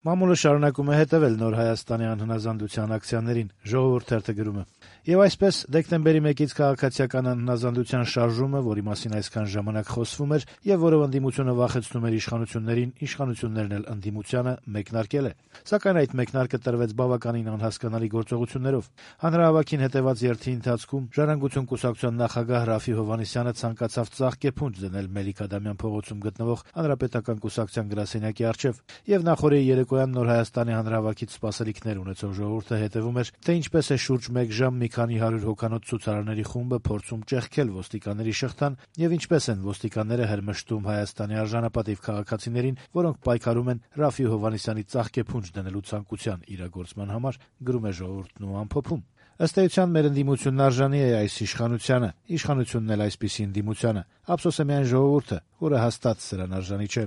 Մամուլը շարունակում է հետևել Նոր Հայաստանի անհնազանդության ակցիաներին, Ժողովուրդ թերթը գրում է. Եվ այսպես դեկտեմբերի 1-ից քաղաքացիական անհնազանդության շարժումը, որի մասին այսքան ժամանակ խոսվում էր եւ որով ընդդիմությունը վախեցնում էր իշխանություններին, իշխանություններն էլ ընդդիմությանը մեկնարկել է։ Սակայն այդ մեկնարկը տրվեց բավականին անհասկանալի գործողություններով։ Հանրահավաքին հետեւած երթի ընթացքում Ժառանգություն կուսակցության նախագահ Ռաֆի Հովհաննիսյանը ցանկացավ ծաղկեփունջ դնել Մելիք Ադամյան փողոցում գտնվող Հանրապետական կուսակցության գրասենյակի առջև եւ նախորդի երեկոյան Նոր Հայաստանի հանրահավաքից սպասելիքներ ունեցող ժողովուրդը հետևում էր, թե ինչպես է շուրջ 1 ժամ մի քանի 100 հոգանոց ցուցարարների խումբը փորձում ճեղքել ոստիկանների շղթան եւ ինչպես են ոստիկանները հրմշտում Հայաստանի արժանապատիվ քաղաքացիներին, որոնք պայքարում են Ռաֆի Հովհաննիսյանի ծաղկեփունջ դնելու ցանկության իրագործման համար, գրում է Ժողովուրդն ու ամփոփում. Ըստ էության մեր ընդդիմությունն արժանի է այս իշխանությանը, իշխանությունն էլ այսպիսի ընդդիմությանը, ափսոս է միայն ժողովուրդը, որը հաստատ սրան արժանի չէ։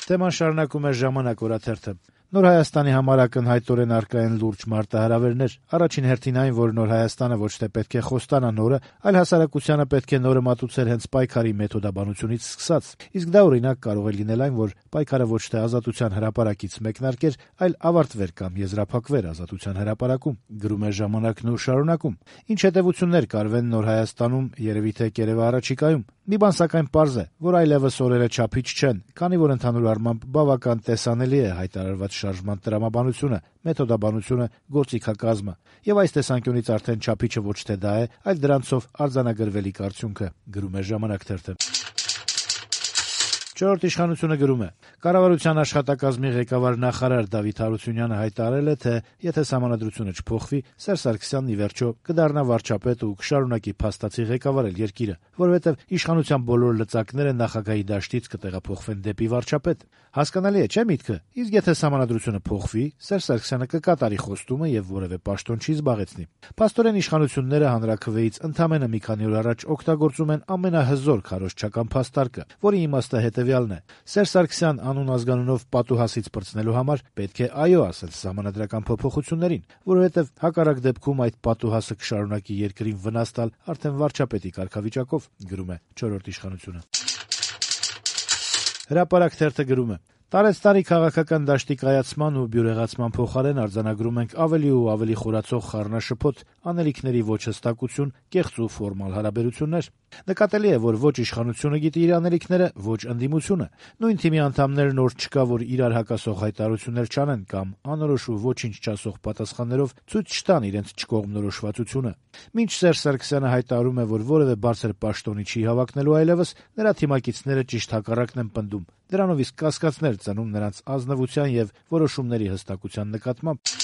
Թեման շարունակում է «Ժամանակ» օրաթերթը. Նոր Հայաստանի համար ակնհայտորեն առկա են լուրջ մարտահրավերներ։ Առաջին հերթին այն, որ Նոր Հայաստանը ոչ թե պետք է խոստանա նորը, այլ հասարակությանը պետք է նորը մատուցել հենց պայքարի մեթոդաբանությունից սկսած։ Իսկ դա օրինակ կարող է լինել այն, որ պայքարը ոչ թե ազատության հրապարակից մեկնարկեր, այլ ավարտվեր կամ եզրափակվեր ազատության հրապարակում, գրում է «Ժամանակն» ու շարունակում. Ինչ հետևություններ կարվեն Նոր Հայաստանում, երևի թե կերևա առաջիկայում։ Մի բան սակայն պարզ է, որ այլևս օրերը չափիչ չեն, քանի որ ընդհանուր առմամբ բավական տեսանելի է հայտարարված շարժման տրամաբանությունը, մեթոդաբանությունը, գործիքակազմը, եւ այս տեսանկյունից արդեն չափիչը ոչ թե դա է, այլ դրանցով արձանագրվելիք արդյունքը, գրում է «Ժամանակ» թերթը։ Չորրորդ իշխանությունը գրում է. Կառավարության աշխատակազմի ղեկավար նախարար Դավիթ Հարությունյանը հայտարարել է, թե եթե սահմանադրությունը չփոխվի, Սերժ Սարգսյանն ի վերջո կդառնա վարչապետ ու կշարունակի փաստացի ղեկավարել երկիրը, որովհետև իշխանության բոլոր լծակները նախագահի դաշտից կտեղափոխվեն դեպի վարչապետ։ Հասկանալի է, չէ՞ միտքը։ Իսկ եթե սահմանադրությունը փոխվի, Սերժ Սարգսյանը կկատարի խոստումը եւ որևէ պաշտոն չի զբաղեցնի։ Փաստորեն իշխանությունները հանրաքվեից ընդամենը մի քանի օր առաջ օգտագործում են ամենահզոր քարոզչական փաստարկը, որի իմաստը հետեւյալն է. Սերժ Սարգսյան անուն ազգանունով պատուհասից պրծնելու համար պետք է այո ասել սահմանադրական փոփոխություններին, որովհետև հակառակ դեպքում այդ պատուհասը կշարունակի երկրին վնաս տալ արդեն վարչապետի կարգավիճակով, գրում է չորրորդ իշխանությունը։ Հրապարակ թերթը գրում է. Տարեցտարի քաղաքական դաշտի կայացման ու բյուրեղացման փոխարեն արձանագրում ենք ավելի ու ավելի խորացող խառնաշփոթ, անելիքների ոչ հստակություն, կեղծ ու ֆորմալ հարաբերություններ։ Նկատելի է, որ ոչ իշխանությունը գիտի իր անելիքները, ոչ ընդդիմությունը։ Նույն թիմի անդամներն օր չկա, որ իրար հակասող հայտարարություններ չանեն կամ անորոշ ու ոչինչ չասող պատասխաններով ցույց չտան իրենց չկողմնորոշվածությունը։ Մինչ Սերժ Սարգսյանը հայտարարում է, որ որևէ բարձր պաշտոնի չի հավակնելու այլևս, նրա թիմակիցները ճիշտ հակառակն են պնդում։ Դրանով իսկ կասկածներ ծնում նրանց ազնվության եւ որոշումների հստակության նկատմամբ։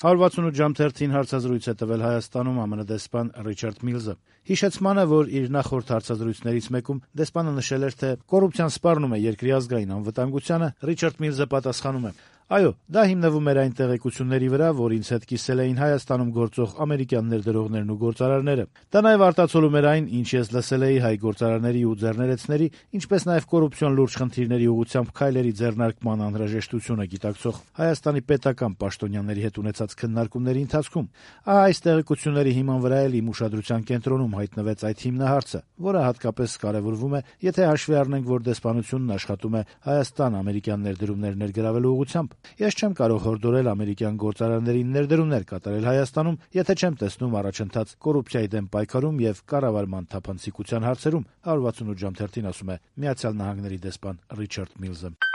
168 ժամ թերթին հարցազրույց է տվել Հայաստանում ԱՄՆ դեսպան Ռիչարդ Միլզը։ Հիշեցմանը, որ իր նախորդ հարցազրույցներից մեկում դեսպանը նշել էր, թե կոռուպցիան սպառնում է երկրի ազգային անվտանգությանը, Ռիչարդ Միլզը պատասխանում է. Այո, դա հիմնվում էր այն տեղեկությունների վրա, որ ինձ հետ կիսել էին Հայաստանում գործող ամերիկյան ներդրողներն ու գործարարները։ Դա նաև արտացոլում էր այն, ինչ ես լսել էի հայ գործարարների ու ձեռներեցների, ինչպես նաև կոռուպցիոն լուրջ խնդիրների ուղղությամբ քայլերի ձեռնարկման անհրաժեշտությունը գիտակցող Հայաստանի պետական պաշտոնյաների հետ ունեցած քննարկումների ընթացքում։ Ահա այս տեղեկությունների հիման վրա էլ իմ ուշադրության կենտրոնում հայտնվեց այդ հիմնահարցը, որը հատկապես կարևորվում է, եթե հաշվի առնենք, որ դեսպանությունն աշխատում է Հայաստան ամերիկյան ներդրումներ ներգրավելու ուղղությամբ։ Ես չեմ կարող հորդորել ամերիկյան գործարարներին ներդրումներ կատարել Հայաստանում, եթե չեմ տեսնում առաջընթաց կոռուպցիայի դեմ պայքարում եւ կառավարման թափանցիկության հարցերում, 168 ժամ թերթին ասում է Միացյալ Նահանգների դեսպան Ռիչարդ Միլզը։